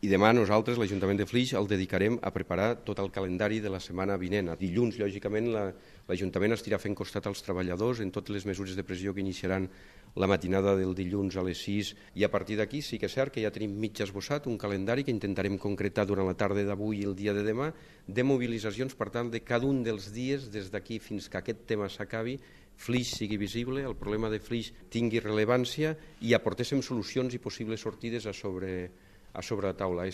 I demà nosaltres, l'Ajuntament de Flix, el dedicarem a preparar tot el calendari de la setmana vinent. Dilluns, lògicament, l'Ajuntament estirà fent costat als treballadors en totes les mesures de pressió que iniciaran la matinada del dilluns a les 6, i a partir d'aquí sí que és cert que ja tenim mig esbossat un calendari que intentarem concretar durant la tarda d'avui i el dia de demà, de mobilitzacions, per tant, de cada un dels dies des d'aquí fins que aquest tema s'acabi, Flix sigui visible, el problema de Flix tingui rellevància i aportéssim solucions i possibles sortides a sobre la taula.